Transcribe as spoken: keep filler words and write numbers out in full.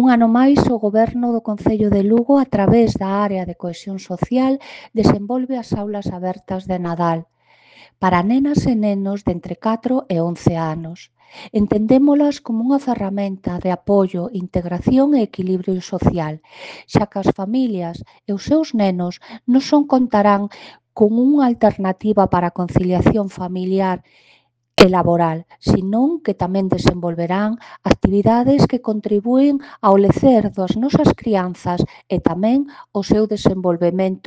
Un ano máis, o Goberno do Concello de Lugo, a través da Área de Cohesión Social, desenvolve as aulas abertas de Nadal para nenas e nenos de entre catro e once anos. Entendémolas como unha ferramenta de apoio, integración e equilibrio social, xa que as familias e os seus nenos non son contarán con unha alternativa para a conciliación familiar e laboral, senón que tamén desenvolverán actividades que contribúen ao lecer das nosas crianzas e tamén ao seu desenvolvemento